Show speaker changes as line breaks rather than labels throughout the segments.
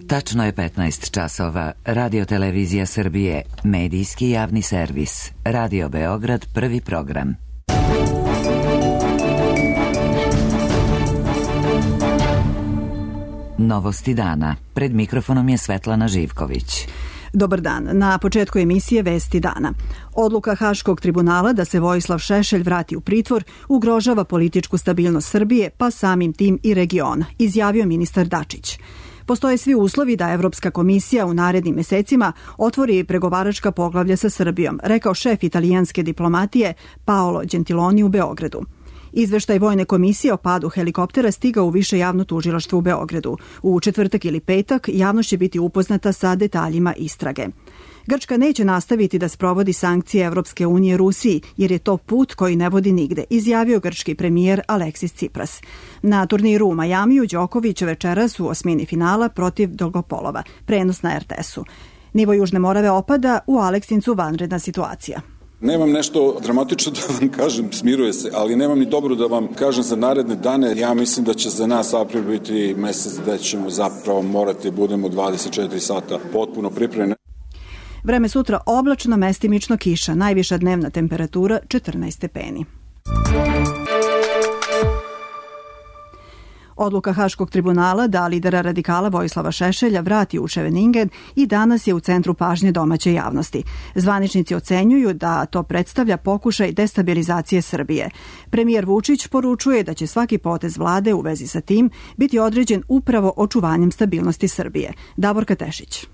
Tačno je 15 časova. Radio-televizija Srbije, medijski javni servis. Radio Beograd, prvi program. Novosti dana. Pred mikrofonom je Svetlana Živković.
Dobar dan. Na početku emisije Vesti dana. Odluka Haškog tribunala da se Vojislav Šešelj vrati u pritvor ugrožava političku stabilnost Srbije, pa samim tim i regiona, izjavio ministar Dačić. Postoje svi uslovi da Evropska komisija u narednim mesecima otvori pregovaračka poglavlja sa Srbijom, rekao šef italijanske diplomatije Paolo Gentiloni u Beogradu. Izveštaj Vojne komisije o padu helikoptera stigao u Više javno tužilaštvo u Beogradu. U četvrtak ili petak javnost će biti upoznata sa detaljima istrage. Grčka neće nastaviti da sprovodi sankcije Evropske unije Rusiji, jer je to put koji ne vodi nigde, izjavio grčki premijer Aleksis Tsipras. Na turniru u Majamiju Đoković večeras u osmini finala protiv Dolgopolova, prenos na RTS-u. Nivo Južne Morave opada, u Aleksincu vanredna situacija.
Nemam nešto dramatično da vam kažem, smiruje se, ali nemam ni dobro da vam kažem za naredne dane. Ja mislim da će za nas april biti mesec da ćemo zapravo morati budemo 24 sata potpuno pripremljeni.
Vreme sutra oblačno, mestimično kiša, najviša dnevna temperatura 14 stepeni. Odluka Haškog tribunala da lidera radikala Vojislava Šešelja vrati u Scheveningen i danas je u centru pažnje domaće javnosti. Zvaničnici ocenjuju da to predstavlja pokušaj destabilizacije Srbije. Premijer Vučić poručuje da će svaki potez vlade u vezi sa tim biti određen upravo očuvanjem stabilnosti Srbije. Davorka Tešić.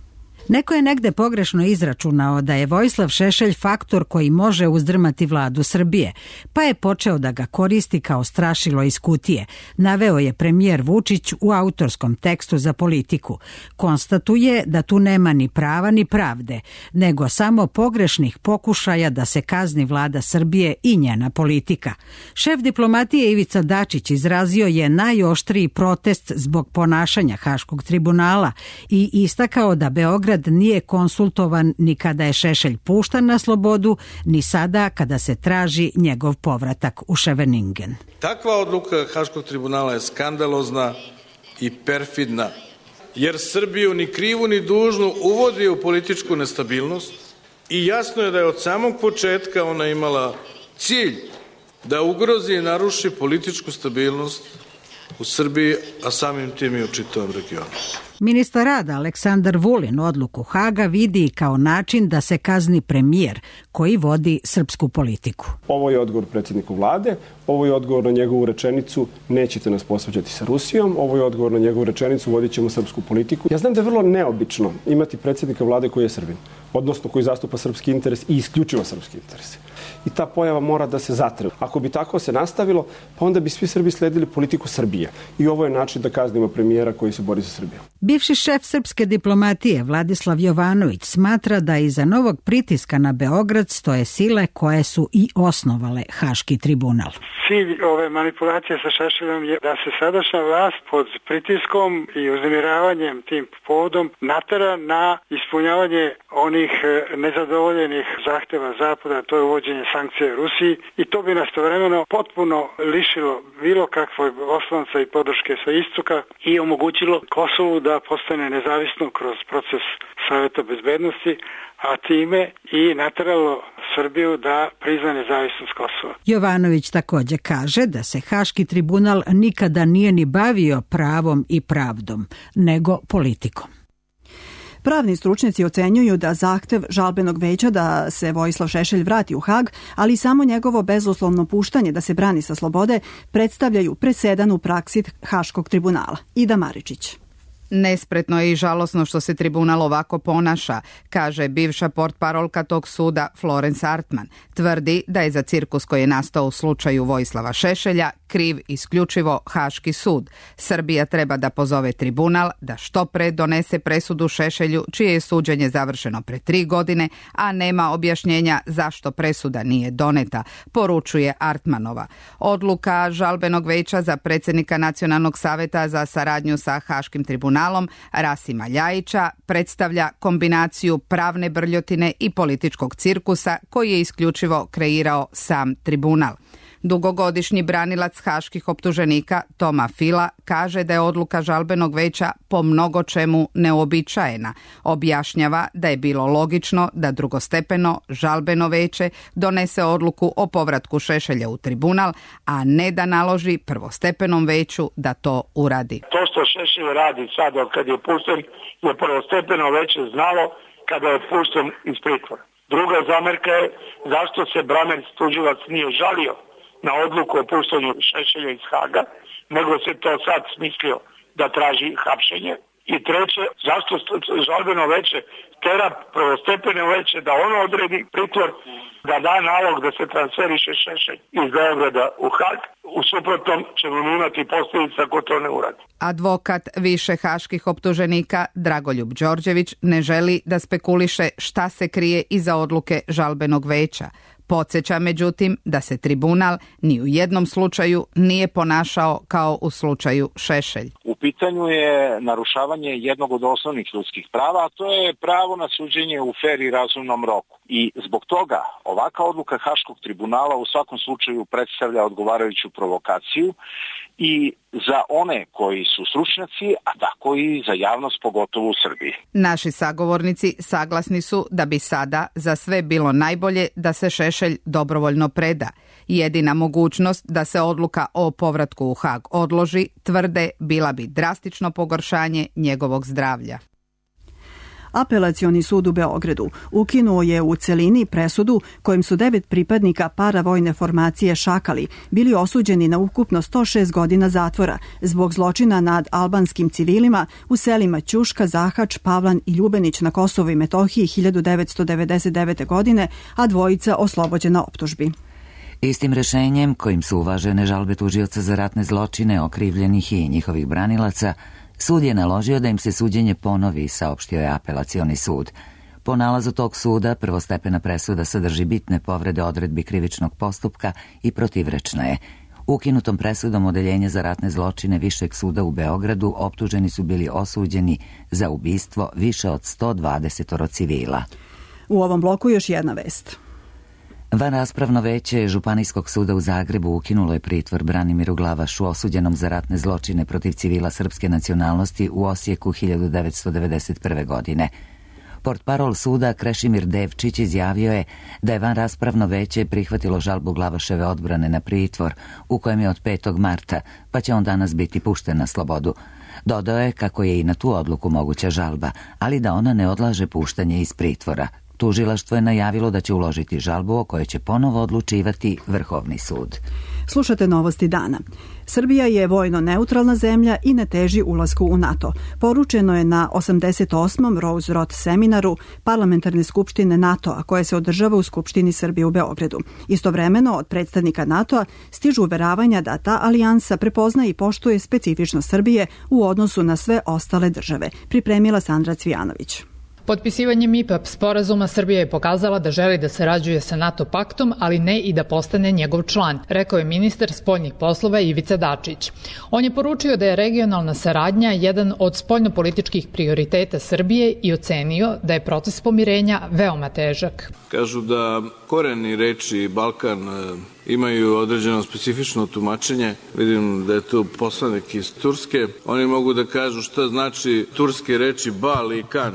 Neko je negde pogrešno izračunao da je Vojislav Šešelj faktor koji može uzdrmati vladu Srbije, pa je počeo da ga koristi kao strašilo iz kutije, naveo je premijer Vučić u autorskom tekstu za Politiku. Konstatuje da tu nema ni prava ni pravde, nego samo pogrešnih pokušaja da se kazni vlada Srbije i njena politika. Šef diplomatije Ivica Dačić izrazio je najoštriji protest zbog ponašanja Haškog tribunala i istakao da Beograd nije konsultovan ni kada je Šešelj puštan na slobodu, ni sada kada se traži njegov povratak u Scheveningen.
Takva odluka Haškog tribunala je skandalozna i perfidna, jer Srbiju ni krivu ni dužnu uvodi u političku nestabilnost i jasno je da je od samog početka ona imala cilj da ugrozi i naruši političku stabilnost u Srbiji, a samim tim i u čitavom regionu.
Ministar rada Aleksandar Vulin odluku Haga vidi kao način da se kazni premijer koji vodi srpsku politiku.
Ovo je odgovor predsjedniku vlade, ovo je odgovor na njegovu rečenicu nećete nas posvađati sa Rusijom, ovo je odgovor na njegovu rečenicu vodit ćemo srpsku politiku. Ja znam da je vrlo neobično imati predsjednika vlade koji je Srbin, odnosno koji zastupa srpski interes i isključivo srpski interes. I ta pojava mora da se zatre. Ako bi tako se nastavilo, pa onda bi svi Srbi sledili politiku Srbije. I ovo je način da kaznimo premijera koji se bori za Srbiju.
Bivši šef srpske diplomatije Vladislav Jovanović smatra da iza novog pritiska na Beograd stoje sile koje su i osnovale Haški tribunal.
Cilj ove manipulacije sa Šešeljom je da se sadašnja vlast pod pritiskom i uznemiravanjem tim povodom natera na ispunjavanje onih nezadovoljenih zahteva Zapada, to je uvođenje sankcije Rusiji, i to bi nastovremeno potpuno lišilo bilo kakvog oslonca i podrške sa istoka i omogućilo Kosovu da postane nezavisno kroz proces Saveta bezbednosti, a time i nateralo Srbiju da prizna nezavisnost Kosova.
Jovanović također kaže da se Haški tribunal nikada nije ni bavio pravom i pravdom, nego politikom.
Pravni stručnjaci ocenjuju da zahtev žalbenog veća da se Vojislav Šešelj vrati u Hag, ali samo njegovo bezuslovno puštanje da se brani sa slobode, predstavljaju presedan u praksi Haškog tribunala. Ida Maričić.
Nespretno je i žalosno što se tribunal ovako ponaša, kaže bivša portparolka tog suda Florence Artman. Tvrdi da je za cirkus koji je nastao u slučaju Vojislava Šešelja kriv isključivo Haški sud. Srbija treba da pozove tribunal da što pre donese presudu Šešelju, čije je suđenje završeno pre 3 godine, a nema objašnjenja zašto presuda nije doneta, poručuje Artmanova. Odluka žalbenog veća za predsjednika Nacionalnog saveta za saradnju sa Haškim tribunalom Rasima Ljajića predstavlja kombinaciju pravne brljotine i političkog cirkusa koji je isključivo kreirao sam tribunal. Dugogodišnji branilac haških optuženika Toma Fila kaže da je odluka žalbenog veća po mnogo čemu neuobičajena. Objašnjava da je bilo logično da drugostepeno žalbeno veće donese odluku o povratku Šešelja u tribunal, a ne da naloži prvostepenom veću da to uradi.
To što Šešelj radi sad od kad je pušten je prvostepeno veće znalo kada je pušten iz pritvora. Druga zamerka je zašto se Bramerc tužilac nije žalio na odluku o puštanju Šešelja iz Haga, nego se to sad smislio da traži hapšenje. I treće, zašto žalbeno veće tera prvostepeno veće da ono odredi pritvor, da da nalog da se transferiše Šešelj iz Beograda u Hag. U suprotnom ćemo imati posljedice ako to ne uradi.
Advokat više haških optuženika Dragoljub Đorđević ne želi da spekuliše šta se krije iza odluke žalbenog veća. Podsjeća međutim da se tribunal ni u jednom slučaju nije ponašao kao u slučaju Šešelj.
U pitanju je narušavanje jednog od osnovnih ljudskih prava, a to je pravo na suđenje u fer i razumnom roku. I zbog toga ovaka odluka Haškog tribunala u svakom slučaju predstavlja odgovarajuću provokaciju i za one koji su stručnjaci, a tako i za javnost, pogotovo u Srbiji.
Naši sagovornici saglasni su da bi sada za sve bilo najbolje da se Šešelj dobrovoljno preda. Jedina mogućnost da se odluka o povratku u Hag odloži, tvrde, bila bi drastično pogoršanje njegovog zdravlja.
Apelacioni sud u Beogradu ukinuo je u celini presudu kojim su 9 pripadnika paravojne formacije Šakali bili osuđeni na ukupno 106 godina zatvora zbog zločina nad albanskim civilima u selima Ćuška, Zahač, Pavlan i Ljubenić na Kosovu i Metohiji 1999. godine, a dvojica oslobođena optužbi.
Istim rešenjem kojim su uvažene žalbe tužioca za ratne zločine, okrivljenih i njihovih branilaca, sud je naložio da im se suđenje ponovi, saopštio je apelacioni sud. Po nalazu tog suda, prvostepena presuda sadrži bitne povrede odredbi krivičnog postupka i protivrečna je. Ukinutom presudom Odeljenja za ratne zločine Višeg suda u Beogradu optuženi su bili osuđeni za ubistvo više od 120 civila.
U ovom bloku još jedna vest.
Vanraspravno veće Županijskog suda u Zagrebu ukinulo je pritvor Branimiru Glavašu, osuđenom za ratne zločine protiv civila srpske nacionalnosti u Osijeku 1991. godine. Portparol suda Krešimir Devčić izjavio je da je vanraspravno veće prihvatilo žalbu Glavaševe odbrane na pritvor, u kojem je od 5. marta, pa će on danas biti pušten na slobodu. Dodao je kako je i na tu odluku moguća žalba, ali da ona ne odlaže puštanje iz pritvora. Tužilaštvo je najavilo da će uložiti žalbu o kojoj će ponovo odlučivati Vrhovni sud.
Slušate novosti dana. Srbija je vojno neutralna zemlja i ne teži ulasku u NATO. Poručeno je na 88. Rose Roth seminaru Parlamentarne skupštine NATO-a, koje se održava u Skupštini Srbije u Beogradu. Istovremeno od predstavnika NATO-a stižu uveravanja da ta alijansa prepozna i poštuje specifičnost Srbije u odnosu na sve ostale države. Pripremila Sandra Cvijanović.
Potpisivanjem IPAP sporazuma Srbija je pokazala da želi da sarađuje sa NATO paktom, ali ne i da postane njegov član, rekao je ministar spoljnih poslova Ivica Dačić. On je poručio da je regionalna saradnja jedan od spoljnopolitičkih prioriteta Srbije i ocenio da je proces pomirenja veoma težak.
Kažu da koreni reči Balkan imaju određeno specifično tumačenje. Vidim da je tu poslanik iz Turske. Oni mogu da kažu šta znači turske reči bal i kan.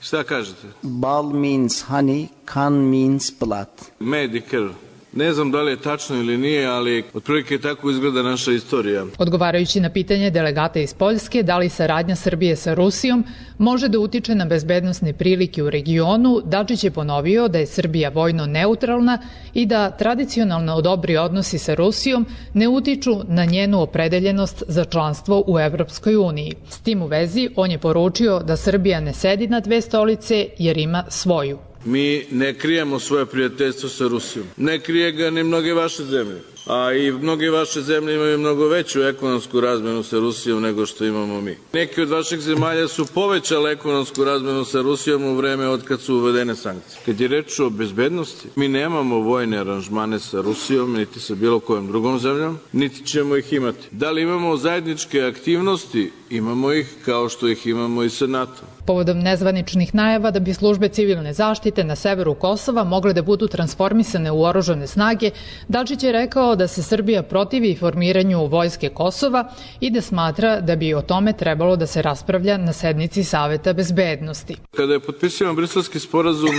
Šta kažete?
Bal means honey, kan means blood.
Med i krv. Ne znam da li je tačno ili nije, ali otprilike tako izgleda naša istorija.
Odgovarajući na pitanje delegata iz Poljske da li saradnja Srbije sa Rusijom može da utiče na bezbednosne prilike u regionu, Dačić je ponovio da je Srbija vojno neutralna i da tradicionalno dobri odnosi sa Rusijom ne utiču na njenu opredeljenost za članstvo u Evropskoj uniji. S tim u vezi on je poručio da Srbija ne sedi na dve stolice jer ima svoju.
Mi ne krijemo svoje prijateljstvo sa Rusijom. Ne krije ga ni mnoge vaše zemlje. A i mnoge vaše zemlje imaju mnogo veću ekonomsku razmenu sa Rusijom nego što imamo mi. Neki od vaših zemalja su povećale ekonomsku razmenu sa Rusijom u vreme od kad su uvedene sankcije. Kad je reč o bezbednosti, mi nemamo vojne aranžmane sa Rusijom, niti sa bilo kojom drugom zemljom, niti ćemo ih imati. Da li imamo zajedničke aktivnosti? Imamo ih kao što ih imamo i sa NATO.
Povodom nezvaničnih najava da bi službe civilne zaštite na severu Kosova mogle da budu transformisane u oružane snage, Dačić je rekao rekao da se Srbija protivi formiranju vojske Kosova i da smatra da bi o tome trebalo da se raspravlja na sednici Saveta bezbednosti.
Kada je potpisivan Briselski sporazum,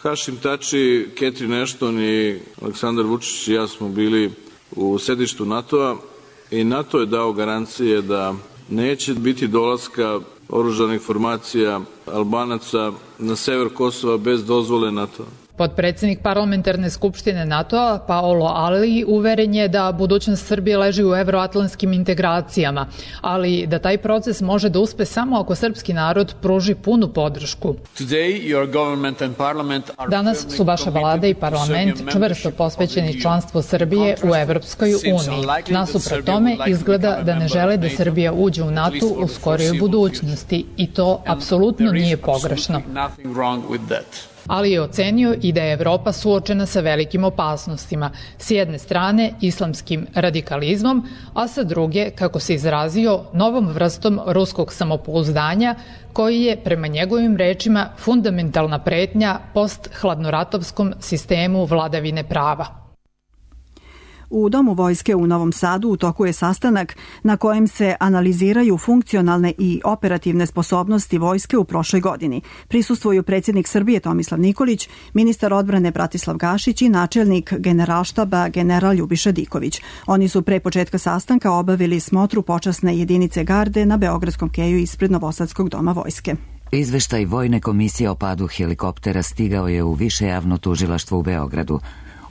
Hašim Tači, Catherine Ashton i Aleksandar Vučić i ja smo bili u sedištu NATO-a i NATO je dao garancije da neće biti dolaska oružanih formacija Albanaca na sever Kosova bez dozvole NATO-a.
Potpredsednik parlamentarne skupštine NATO-a Paolo Ali uveren je da budućnost Srbije leži u evroatlantskim integracijama, ali da taj proces može da uspe samo ako srpski narod pruži punu podršku. Danas su vaša vlada i parlament čvrsto posvećeni članstvu Srbije u Evropskoj uniji. Nasuprot tome izgleda da ne žele da Srbija uđe u NATO u skorijoj budućnosti i to apsolutno nije pogrešno. Ali je ocenio i da je Evropa suočena sa velikim opasnostima. S jedne strane islamskim radikalizmom, a sa druge, kako se izrazio, novom vrstom ruskog samopouzdanja, koji je, prema njegovim rečima, fundamentalna pretnja post-hladnoratovskom sistemu vladavine prava.
U Domu vojske u Novom Sadu u toku je sastanak na kojem se analiziraju funkcionalne i operativne sposobnosti vojske u prošloj godini. Prisustvuju predsjednik Srbije Tomislav Nikolić, ministar odbrane Bratislav Gašić i načelnik Generalštaba general Ljubiša Diković. Oni su pre početka sastanka obavili smotru počasne jedinice garde na Beogradskom keju ispred Novosadskog doma vojske.
Izveštaj Vojne komisije o padu helikoptera stigao je u Više javno tužilaštvo u Beogradu.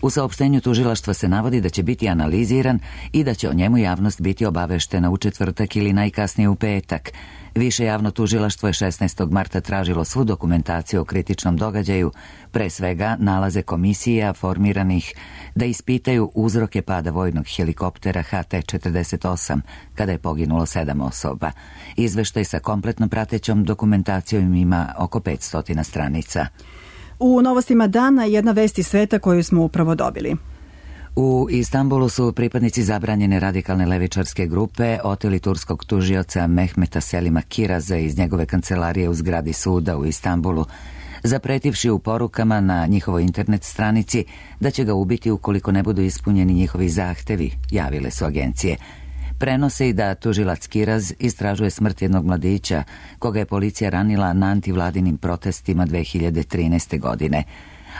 U saopštenju tužilaštva se navodi da će biti analiziran i da će o njemu javnost biti obaveštena u četvrtak ili najkasnije u petak. Više javno tužilaštvo je 16. marta tražilo svu dokumentaciju o kritičnom događaju, pre svega nalaze komisija formiranih da ispitaju uzroke pada vojnog helikoptera HT-48, kada je poginulo 7 osoba. Izveštaj sa kompletno pratećom dokumentacijom ima oko 500 stranica.
U novostima dana jedna vest iz sveta koju smo upravo dobili.
U Istanbulu su pripadnici zabranjene radikalne levičarske grupe oteli turskog tužioca Mehmeta Selima Kiraza iz njegove kancelarije u zgradi suda u Istanbulu, zapretivši u porukama na njihovoj internet stranici da će ga ubiti ukoliko ne budu ispunjeni njihovi zahtevi, javile su agencije. Prenose i da tužilac Kiraz istražuje smrt jednog mladića koga je policija ranila na antivladinim protestima 2013. godine.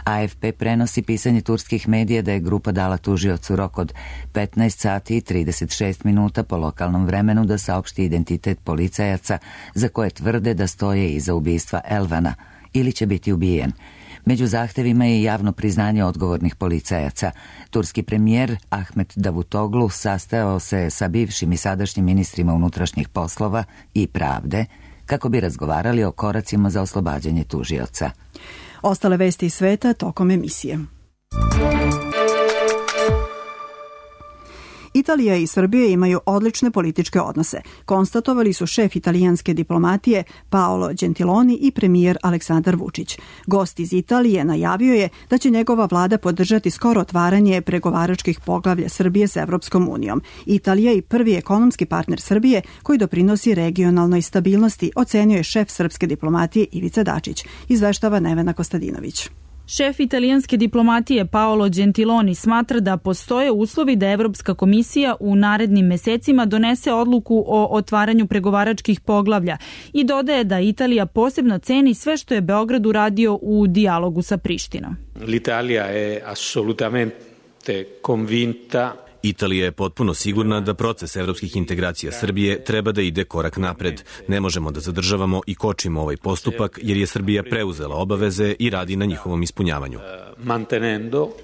AFP prenosi pisanje turskih medija da je grupa dala tužiocu rok od 15 sati i 36 minuta po lokalnom vremenu da saopšti identitet policajaca za koje tvrde da stoje iza ubistva Elvana ili će biti ubijen. Među zahtevima je javno priznanje odgovornih policajaca. Turski premijer Ahmet Davutoglu sastajao se sa bivšim i sadašnjim ministrima unutrašnjih poslova i pravde kako bi razgovarali o koracima za oslobađanje tužioca.
Ostale vesti iz sveta tokom emisije. Italija i Srbija imaju odlične političke odnose, konstatovali su šef italijanske diplomatije Paolo Gentiloni i premijer Aleksandar Vučić. Gost iz Italije najavio je da će njegova vlada podržati skoro otvaranje pregovaračkih poglavlja Srbije sa Evropskom unijom. Italija je prvi ekonomski partner Srbije koji doprinosi regionalnoj stabilnosti, ocenio je šef srpske diplomatije Ivica Dačić, izveštava Nevena Kostadinović.
Šef italijanske diplomatije Paolo Gentiloni smatra da postoje uslovi da Evropska komisija u narednim mesecima donese odluku o otvaranju pregovaračkih poglavlja i dodaje da Italija posebno ceni sve što je Beograd uradio u dijalogu sa Prištinom.
L'Italia è assolutamente convinta.
Italija je potpuno sigurna da proces evropskih integracija Srbije treba da ide korak napred. Ne možemo da zadržavamo i kočimo ovaj postupak jer je Srbija preuzela obaveze i radi na njihovom ispunjavanju.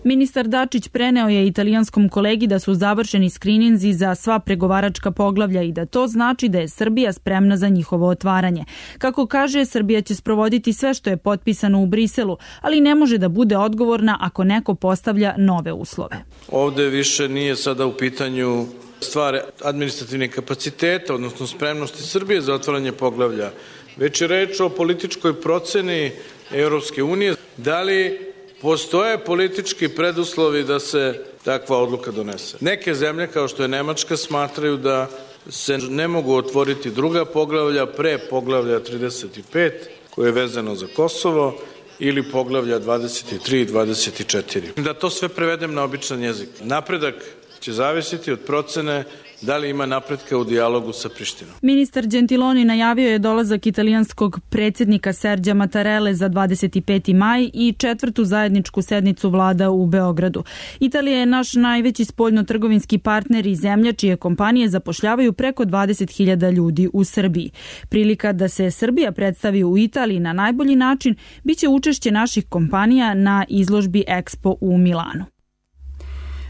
Ministar Dačić preneo je italijanskom kolegi da su završeni skrininzi za sva pregovaračka poglavlja i da to znači da je Srbija spremna za njihovo otvaranje. Kako kaže, Srbija će sprovoditi sve što je potpisano u Briselu, ali ne može da bude odgovorna ako neko postavlja nove uslove.
Ovde više nije sada u pitanju stvar administrativnih kapaciteta, odnosno spremnosti Srbije za otvaranje poglavlja, već je reč o političkoj proceni Europske unije. Da li postoje politički preduslovi da se takva odluka donese? Neke zemlje, kao što je Nemačka, smatraju da se ne mogu otvoriti druga poglavlja pre poglavlja 35, koje je vezano za Kosovo, ili poglavlja 23 i 24. Da to sve prevedem na običan jezik. Napredak će zavisiti od procene da li ima napretka u dijalogu sa Prištinom.
Ministar Gentiloni najavio je dolazak italijanskog predsjednika Serđa Mattarelle za 25. maj i 4. zajedničku sednicu vlada u Beogradu. Italija je naš najveći spoljno-trgovinski partner i zemlja čije kompanije zapošljavaju preko 20.000 ljudi u Srbiji. Prilika da se Srbija predstavi u Italiji na najbolji način biće učešće naših kompanija na izložbi Expo u Milanu.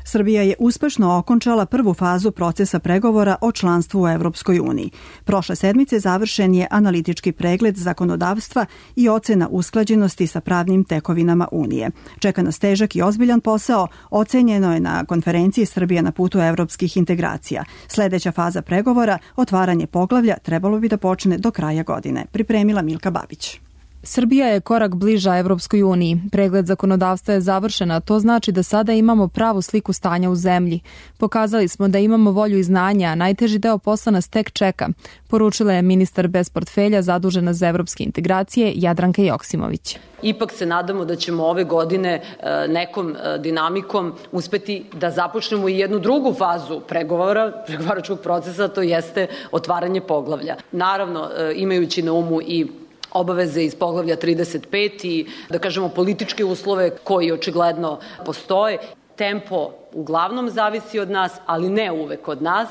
Srbija je uspešno okončala prvu fazu procesa pregovora o članstvu u Evropskoj uniji. Prošle sedmice završen je analitički pregled zakonodavstva i ocena usklađenosti sa pravnim tekovinama Unije. Čeka nas težak i ozbiljan posao, ocenjeno je na konferenciji Srbija na putu evropskih integracija. Sledeća faza pregovora, otvaranje poglavlja, trebalo bi da počne do kraja godine. Pripremila Milka Babić.
Srbija je korak bliža Evropskoj uniji. Pregled zakonodavstva je završen, a to znači da sada imamo pravu sliku stanja u zemlji. Pokazali smo da imamo volju i znanja, a najteži deo posla nas tek čeka, poručila je ministar bez portfelja zadužena za evropske integracije Jadranka Joksimović.
Ipak se nadamo da ćemo ove godine nekom dinamikom uspeti da započnemo i jednu drugu fazu pregovaračkog procesa, to jeste otvaranje poglavlja. Naravno, imajući na umu i obaveze iz poglavlja 35 i, da kažemo, političke uslove koji očigledno postoje. Tempo uglavnom zavisi od nas, ali ne uvek od nas.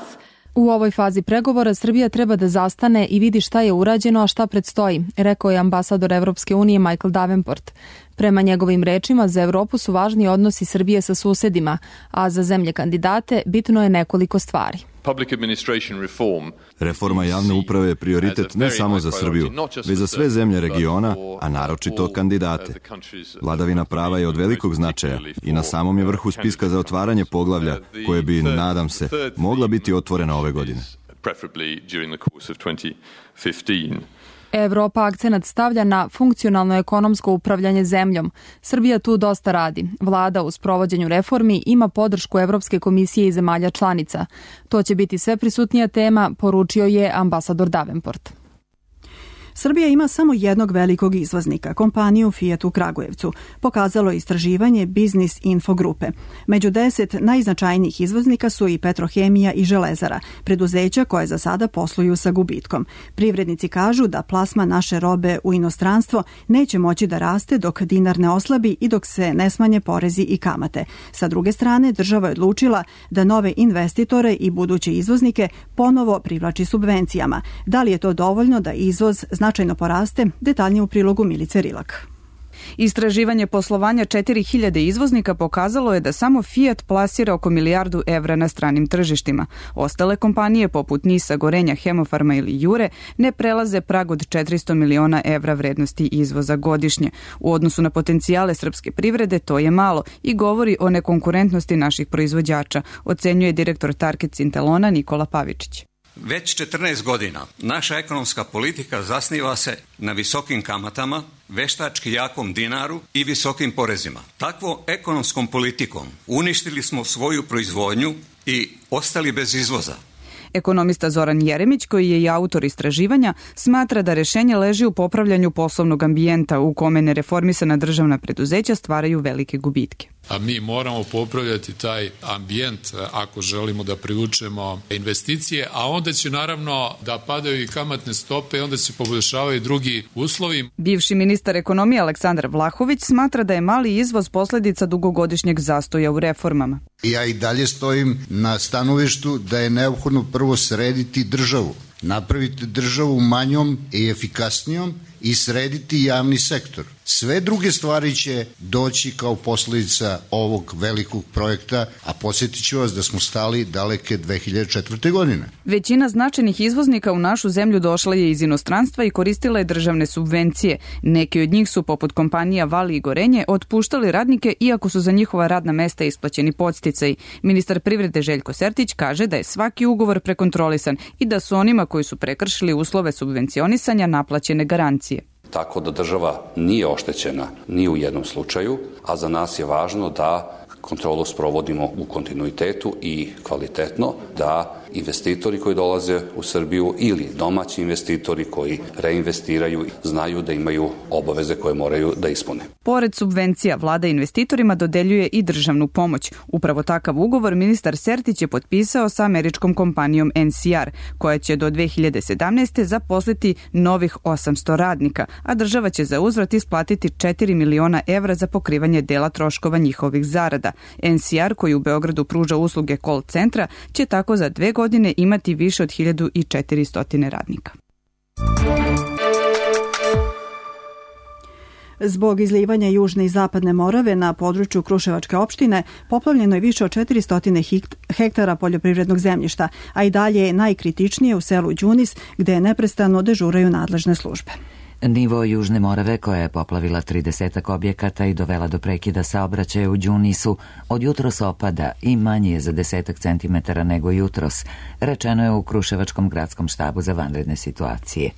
U ovoj fazi pregovora Srbija treba da zastane i vidi šta je urađeno, a šta predstoji, rekao je ambasador Evropske unije Michael Davenport. Prema njegovim rečima, za Evropu su važni odnosi Srbije sa susedima, a za zemlje kandidate bitno je nekoliko stvari.
Reforma javne uprave je prioritet ne samo za Srbiju, već za sve zemlje regiona, a naročito kandidate. Vladavina prava je od velikog značaja i na samom je vrhu spiska za otvaranje poglavlja, koje bi, nadam se, mogla biti otvorena ove godine.
Evropa akcenat stavlja na funkcionalno ekonomsko upravljanje zemljom. Srbija tu dosta radi. Vlada u sprovođenju reformi ima podršku Evropske komisije i zemalja članica. To će biti sve prisutnija tema, poručio je ambasador Davenport.
Srbija ima samo jednog velikog izvoznika, kompaniju Fiat u Kragujevcu, pokazalo istraživanje Business Info grupe. Među 10 najznačajnijih izvoznika su i Petrohemija i Železara, preduzeća koje za sada posluju sa gubitkom. Privrednici kažu da plasma naše robe u inostranstvo neće moći da raste dok dinar ne oslabi i dok se ne smanje porezi i kamate. Sa druge strane, država je odlučila da nove investitore i buduće izvoznike ponovo privlači subvencijama. Da li je to dovoljno da izvoz značajno poraste? Detaljnije u prilogu Milice Rilak.
Istraživanje poslovanja 4000 izvoznika pokazalo je da samo Fiat plasira oko milijardu evra na stranim tržištima. Ostale kompanije poput Nisa, Gorenja, Hemofarma ili Jure ne prelaze prag od 400 miliona evra vrednosti izvoza godišnje. U odnosu na potencijale srpske privrede to je malo i govori o nekonkurentnosti naših proizvođača, ocenjuje direktor Target Sintelona Nikola Pavičić.
Već 14 godina naša ekonomska politika zasniva se na visokim kamatama, veštački jakom dinaru i visokim porezima. Takvom ekonomskom politikom uništili smo svoju proizvodnju i ostali bez izvoza.
Ekonomista Zoran Jeremić, koji je i autor istraživanja, smatra da rešenje leži u popravljanju poslovnog ambijenta u kome nereformisana državna preduzeća stvaraju velike gubitke.
A mi moramo popravljati taj ambijent ako želimo da privučemo investicije, a onda će naravno da padaju i kamatne stope i onda se poboljšavaju drugi uslovi.
Bivši ministar ekonomije Aleksandar Vlahović smatra da je mali izvoz posledica dugogodišnjeg zastoja u reformama.
Ja i dalje stojim na stanovištu da je neophodno prvo srediti državu, napraviti državu manjom i efikasnijom i srediti javni sektor. Sve druge stvari će doći kao posledica ovog velikog projekta, a podsjetit ću vas da smo stali daleke 2004. godine.
Većina značajnih izvoznika u našu zemlju došla je iz inostranstva i koristila je državne subvencije. Neki od njih su, poput kompanija Vali i Gorenje, otpuštali radnike iako su za njihova radna mesta isplaćeni podsticaji. Ministar privrede Željko Sertić kaže da je svaki ugovor prekontrolisan i da su onima koji su prekršili uslove subvencionisanja naplaćene garancije.
Tako da država nije oštećena ni u jednom slučaju, a za nas je važno da kontrolu sprovodimo u kontinuitetu i kvalitetno, da investitori koji dolaze u Srbiju ili domaći investitori koji reinvestiraju znaju da imaju obaveze koje moraju da ispune.
Pored subvencija, vlada investitorima dodeljuje i državnu pomoć. Upravo takav ugovor ministar Sertić je potpisao sa američkom kompanijom NCR, koja će do 2017. zaposliti novih 800 radnika, a država će za uzvrat isplatiti 4 miliona evra za pokrivanje dela troškova njihovih zarada. NCR, koji u Beogradu pruža usluge call centra, će tako za 2 godine imati više od 1400 radnika.
Zbog izlivanja Južne i Zapadne Morave na području Kruševačke opštine poplavljeno je više od 400 hektara poljoprivrednog zemljišta, a i dalje je najkritičnije u selu Đunis, gde neprestano dežuraju nadležne službe.
Nivo Južne Morave, koja je poplavila 30 objekata i dovela do prekida saobraćaja u Đunisu, od jutros opada i manji je za 10 centimetara nego jutros, rečeno je u Kruševačkom gradskom štabu za vanredne situacije.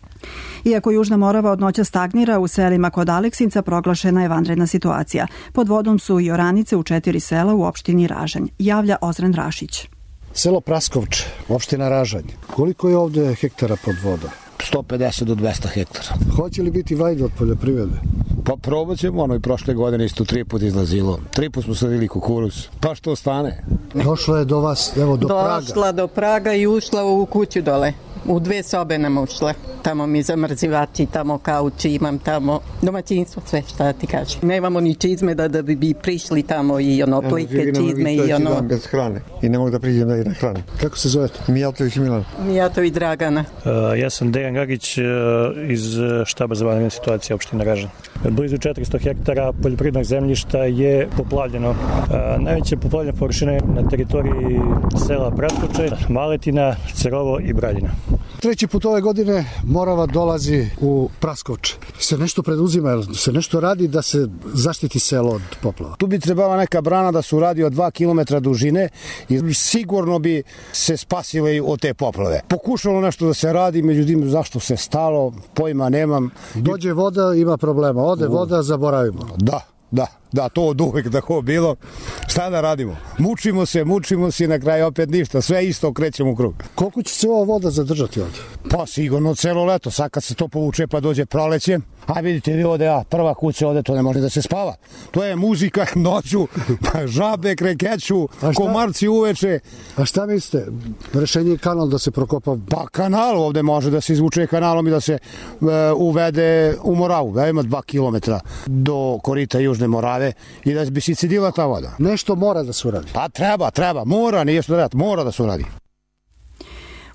Iako Južna Morava od noća stagnira, u selima kod Aleksinca proglašena je vanredna situacija. Pod vodom su i oranice u 4 sela u opštini Ražanj, javlja Ozren Rašić.
Selo Praskovč, opština Ražanj. Koliko je ovde hektara pod vodom?
150 do 200 hektara.
Hoće li biti vajda od poljoprivrede?
Pa probat ćemo, i prošle godine isto 3 puta izlazilo. 3 puta smo sadili kukuruz. Pa što stane?
Došlo je do vas, evo do Praga.
Došla do Praga i ušla u kuću dole. U 2 sobe nam ušle. Tamo mi zamrzivači, tamo kauči, imam tamo domaćinstvo, sve šta ti kažem. Nemamo ni čizme da bi prišli tamo i plike čizme i ono.
Bez hrane i ne mogu da priđem da hrane. Kako se zovete? Mijatović Milan.
Mijatović Dragana.
Ja sam Dejan Gagić iz štaba za vanredne situacije opštine Ražanj. Blizu 400 hektara poljoprivrednog zemljišta je poplavljeno. Najveće poplavljene površine na teritoriji sela Praskovče, Maletina, Cerovo i Braljina.
3. put ove godine Morava dolazi u Praskovče. Se nešto preduzima, se nešto radi da se zaštiti selo od poplava?
Tu bi trebala neka brana da se uradi od 2 km dužine i sigurno bi se spasile od te poplave. Pokušalo nešto da se radi, međutim zašto se stalo, pojma nemam.
Dođe voda, ima problema. Ode voda, zaboravimo.
Da, to od uvek tako bilo. Šta da radimo? Mučimo se i na kraju opet ništa. Sve isto krećemo u krug.
Koliko će se ova voda zadržati ovdje?
Pa sigurno celo leto. Sad kad se to povuče pa dođe proleće. A vidite vi ovde, prva kuća ovde, to ne može da se spava. To je muzika noću, žabe krekeću, komarci uveče.
A šta mislite? Rešenje je kanal da se prokopa?
Pa kanal ovde može da se izvuče kanalom i da se uvede u Moravu. Da ima 2 km do korita Južne Morave i da bi se cidila ta voda.
Nešto mora da se uradi.
Pa treba, mora da se uradi.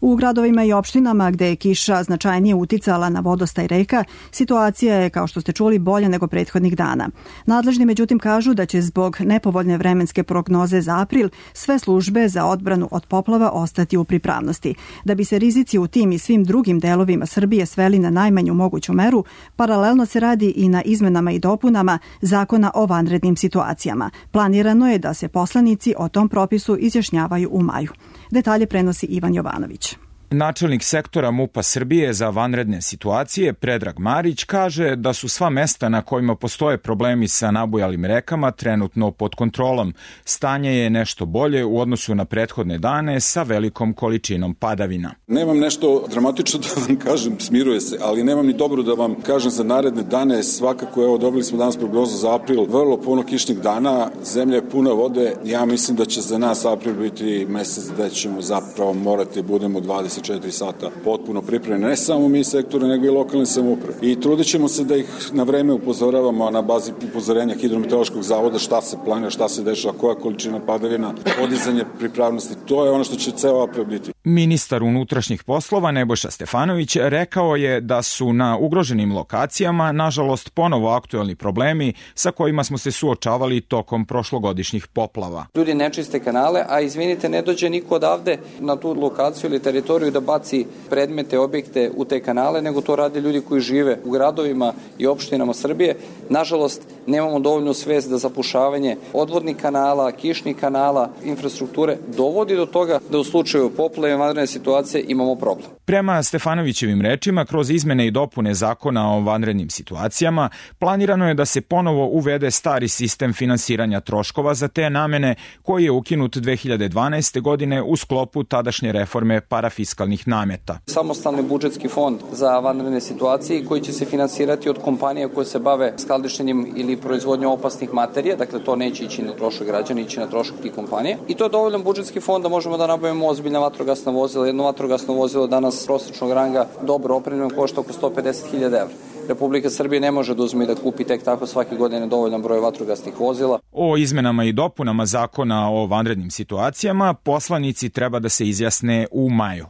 U gradovima i opštinama gde je kiša značajnije uticala na vodostaj reka, situacija je, kao što ste čuli, bolja nego prethodnih dana. Nadležni međutim kažu da će zbog nepovoljne vremenske prognoze za april sve službe za odbranu od poplava ostati u pripravnosti. Da bi se rizici u tim i svim drugim delovima Srbije sveli na najmanju moguću meru, paralelno se radi i na izmenama i dopunama Zakona o vanrednim situacijama. Planirano je da se poslanici o tom propisu izjašnjavaju u maju. Detalje prenosi Ivan Jovanović.
Načelnik sektora MUP-a Srbije za vanredne situacije, Predrag Marić, kaže da su sva mesta na kojima postoje problemi sa nabujalim rekama trenutno pod kontrolom. Stanje je nešto bolje u odnosu na prethodne dane sa velikom količinom padavina.
Nemam nešto dramatično da vam kažem, smiruje se, ali nemam ni dobro da vam kažem za naredne dane. Svakako, evo, dobili smo danas prognozu za april, vrlo puno kišnih dana, zemlja je puna vode. Ja mislim da će za nas april biti mesec da ćemo zapravo morati budemo 24 sata potpuno pripremljeni, ne samo mi sektori, nego i lokalne samouprave. I trudit ćemo se da ih na vreme upozoravamo na bazi upozorenja Hidrometeorološkog zavoda šta se planira, šta se dešava, koja količina padavina, podizanje pripravnosti. To je ono što će ceo april biti.
Ministar unutrašnjih poslova Nebojša Stefanović rekao je da su na ugroženim lokacijama, nažalost, ponovo aktuelni problemi sa kojima smo se suočavali tokom prošlogodišnjih poplava.
Ljudi ne čiste kanale, a izvinite, ne dođe niko odavde na tu lokaciju ili teritoriju
pokušaju da baci predmete, objekte u te kanale, nego to rade ljudi koji žive u gradovima i opštinama Srbije. Nažalost, nemamo dovoljnu svest da zapušavanje odvodnih kanala, kišnih kanala, infrastrukture dovodi do toga da u slučaju poplave, vanredne situacije imamo problem.
Prema Stefanovićevim rečima, kroz izmene i dopune zakona o vanrednim situacijama, planirano je da se ponovo uvede stari sistem finansiranja troškova za te namene koji je ukinut 2012. godine u sklopu tadašnje reforme parafiskalnih nameta.
Samostalni budžetski fond za vanredne situacije koji će se finansirati od kompanija koje se bave skladištenjem ili proizvodnjom opasnih materija, dakle to neće ići na trošak građana, ići na trošak tih kompanija. I to je dovoljan budžetski fond da možemo da nabavimo ozbiljna vatrogasna vozila. Jedno vatrogasno vozilo danas prosječnog ranga dobro opremljeno košta oko 150.000 evra. Republika Srbije ne može da uzme i da kupi tek tako svake godine dovoljan broj vatrogasnih vozila.
O izmenama i dopunama zakona o vanrednim situacijama poslanici treba da se izjasne u maju.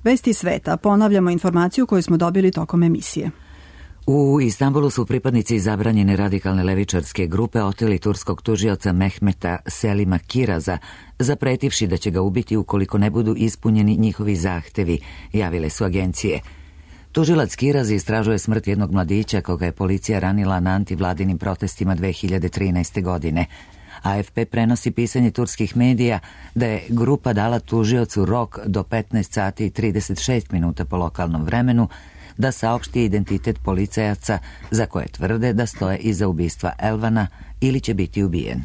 Vesti sveta. Ponavljamo informaciju koju smo dobili tokom emisije.
U Istanbulu su pripadnici zabranjene radikalne levičarske grupe oteli turskog tužioca Mehmeta Selima Kiraza, zapretivši da će ga ubiti ukoliko ne budu ispunjeni njihovi zahtevi, javile su agencije. Tužilac Kiraz istražuje smrt jednog mladića koga je policija ranila na antivladinim protestima 2013. godine. AFP prenosi pisanje turskih medija da je grupa dala tužiocu rok do 15 sati i 36 minuta po lokalnom vremenu da saopšti identitet policajaca za koje tvrde da stoje iza ubistva Elvana ili će biti ubijen.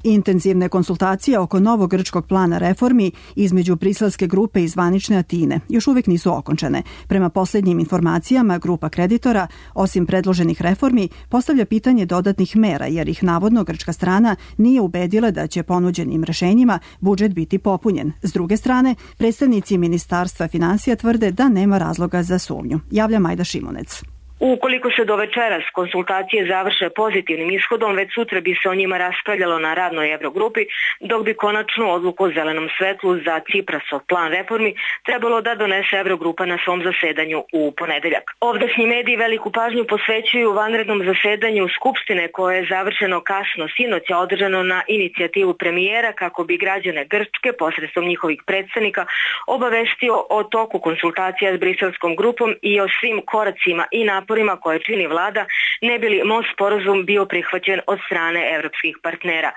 Intenzivne konsultacije oko novog grčkog plana reformi između briselske grupe i zvanične Atine još uvijek nisu okončane. Prema posljednjim informacijama, grupa kreditora, osim predloženih reformi, postavlja pitanje dodatnih mera jer ih navodno grčka strana nije ubedila da će ponuđenim rešenjima budžet biti popunjen. S druge strane, predstavnici Ministarstva finansija tvrde da nema razloga za sumnju. Javlja Majda Šimunec.
Ukoliko se do večeras konsultacije završe pozitivnim ishodom, već sutra bi se o njima raspravljalo na radnoj Eurogrupi, dok bi konačnu odluku o zelenom svetlu za Ciprasov plan reformi trebalo da donese Eurogrupa na svom zasedanju u ponedeljak. Ovdašnji mediji veliku pažnju posvećuju vanrednom zasedanju Skupštine koje je završeno kasno sinoć, a održano na inicijativu premijera kako bi građane Grčke posredstvom njihovih predstavnika obavestio o toku konsultacija s briselskom grupom i o svim koracima i naporima koje čini vlada, ne bi li most sporazum bio prihvaćen od strane evropskih partnera.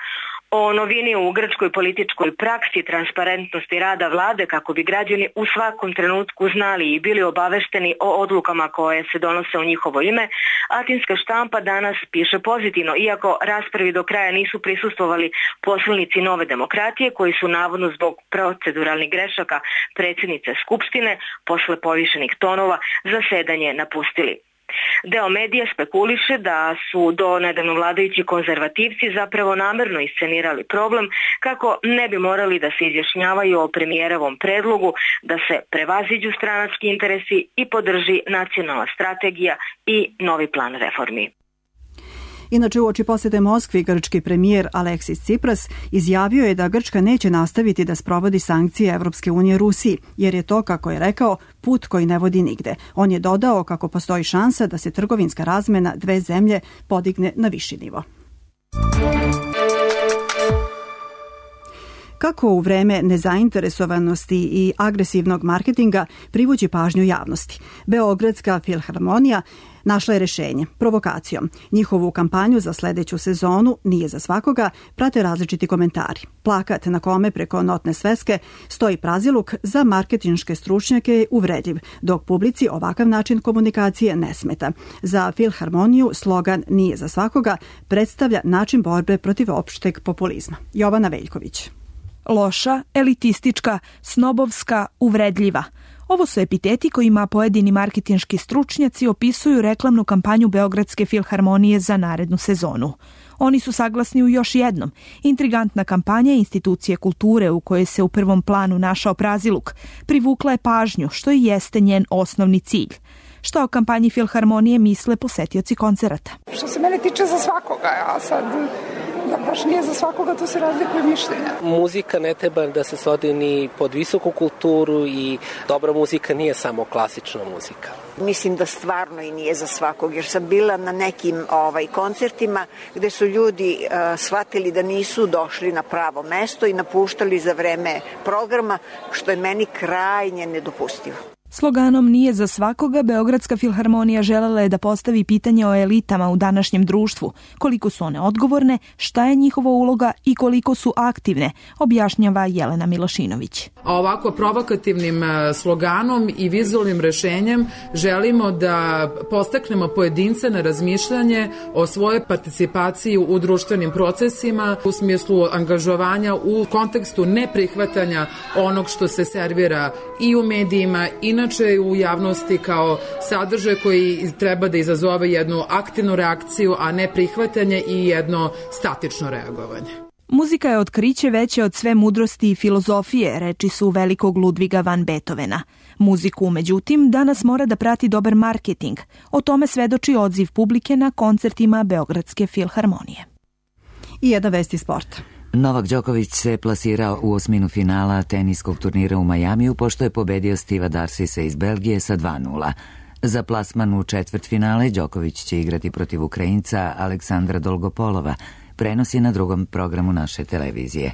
O novini u grčkoj političkoj praksi, transparentnosti rada vlade kako bi građani u svakom trenutku znali i bili obavešteni o odlukama koje se donose u njihovo ime, atinska štampa danas piše pozitivno, iako raspravi do kraja nisu prisustvovali poslanici Nove demokratije koji su navodno zbog proceduralnih grešaka predsjednice Skupštine posle povišenih tonova zasedanje napustili. Deo medija spekuliše da su do nedavno vladajući konzervativci zapravo namerno iscenirali problem kako ne bi morali da se izjašnjavaju o premijerovom predlogu da se prevaziđu stranački interesi i podrži nacionalna strategija i novi plan reformi.
Inače, uoči posete Moskvi, grčki premijer Aleksis Cipras izjavio je da Grčka neće nastaviti da sprovodi sankcije Evropske unije Rusiji, jer je to, kako je rekao, put koji ne vodi nigde. On je dodao kako postoji šansa da se trgovinska razmena dve zemlje podigne na viši nivo. Kako u vreme nezainteresovanosti i agresivnog marketinga privući pažnju javnosti? Beogradska filharmonija našla je rešenje, provokacijom. Njihovu kampanju za sledeću sezonu Nije za svakoga prate različiti komentari. Plakat na kome preko notne sveske stoji praziluk za marketinške stručnjake je uvredljiv, dok publici ovakav način komunikacije ne smeta. Za filharmoniju slogan Nije za svakoga predstavlja način borbe protiv opšteg populizma. Jovana Veljković.
Loša, elitistička, snobovska, uvredljiva. Ovo su epiteti kojima pojedini marketinški stručnjaci opisuju reklamnu kampanju Beogradske filharmonije za narednu sezonu. Oni su saglasni u još jednom. Intrigantna kampanja institucije kulture u kojoj se u prvom planu našao praziluk privukla je pažnju, što i jeste njen osnovni cilj. Što o kampanji filharmonije misle posetioci koncerata?
Što se mene tiče za svakoga, ja sad
baš nije za svakoga, tu se razlikuje mišljenja.
Muzika ne treba da se svodi ni pod visoku kulturu i dobra muzika nije samo klasična muzika.
Mislim da stvarno i nije za svakog, jer sam bila na nekim koncertima gde su ljudi shvatili da nisu došli na pravo mesto i napuštali za vreme programa, što je meni krajnje nedopustivo.
Sloganom "Nije za svakoga" Beogradska filharmonija želela je da postavi pitanje o elitama u današnjem društvu, koliko su one odgovorne, šta je njihova uloga i koliko su aktivne, objašnjava Jelena Milošinović.
Ovako provokativnim sloganom i vizualnim rešenjem želimo da podstaknemo pojedince na razmišljanje o svojoj participaciji u društvenim procesima u smislu angažovanja u kontekstu neprihvatanja onog što se servira i u medijima, inače u javnosti kao sadržaj koji treba da izazove jednu aktivnu reakciju, a ne prihvatanje i jedno statično reagovanje.
Muzika je otkriće veće od sve mudrosti i filozofije, reči su velikog Ludviga van Beethovena. Muziku, međutim, danas mora da prati dobar marketing. O tome svedoči odziv publike na koncertima Beogradske filharmonije.
I jedna vest iz sporta.
Novak Đoković se plasirao u osminu finala teniskog turnira u Majamiju pošto je pobedio Steva Darsisa iz Belgije sa 2:0. Za plasman u četvrtfinale Đoković će igrati protiv Ukrajinca Aleksandra Dolgopolova. Prenos je na drugom programu naše televizije.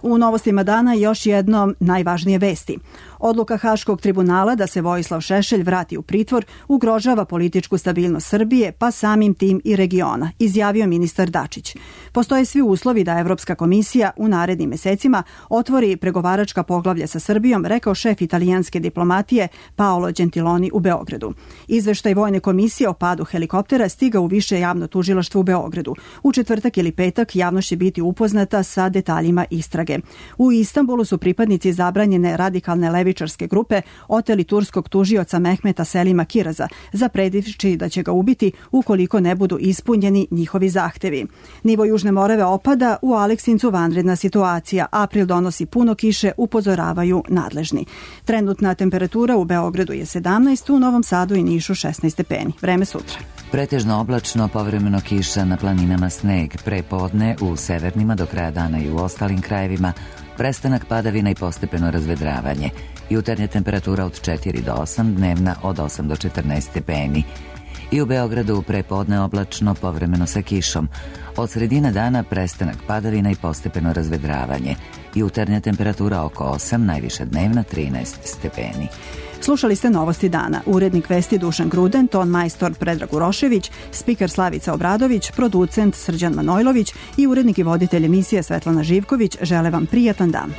U novostima dana još jedno najvažnije vesti. Odluka Haškog tribunala da se Vojislav Šešelj vrati u pritvor ugrožava političku stabilnost Srbije, pa samim tim i regiona, izjavio ministar Dačić. Postoje svi uslovi da Evropska komisija u narednim mesecima otvori pregovaračka poglavlja sa Srbijom, rekao šef italijanske diplomatije Paolo Gentiloni u Beogradu. Izveštaj Vojne komisije o padu helikoptera stiga u više javno tužilaštvo u Beogradu. U četvrtak ili petak javnost će biti upoznata sa detaljima istrage. U Istanbulu su pripadnici zabranjene radikalne levičarske grupe oteli turskog tužioca Mehmeta Selima Kiraza, zapredivši da će ga ubiti ukoliko ne budu ispunjeni njihovi zahtevi. Nivo Južne Morave opada, u Aleksincu vanredna situacija. April donosi puno kiše, upozoravaju nadležni. Trenutna temperatura u Beogradu je 17, u Novom Sadu i Nišu 16 stepeni. Vreme sutra.
Pretežno oblačno, povremeno kiša, na planinama sneg, prepodne u severnima, do kraja dana i u ostalim krajevima, prestanak padavina i postepeno razvedravanje. Jutarnja temperatura od 4 do 8, dnevna od 8 do 14 stepeni. I u Beogradu prepodne oblačno, povremeno sa kišom. Od sredine dana prestanak padavina i postepeno razvedravanje. Jutarnja temperatura oko 8, najviša dnevna 13 stepeni.
Slušali ste novosti dana. Urednik vesti Dušan Gruden, ton majstor Predrag Urošević, spiker Slavica Obradović, producent Srđan Manojlović i urednik i voditelj emisije Svetlana Živković žele vam prijatan dan.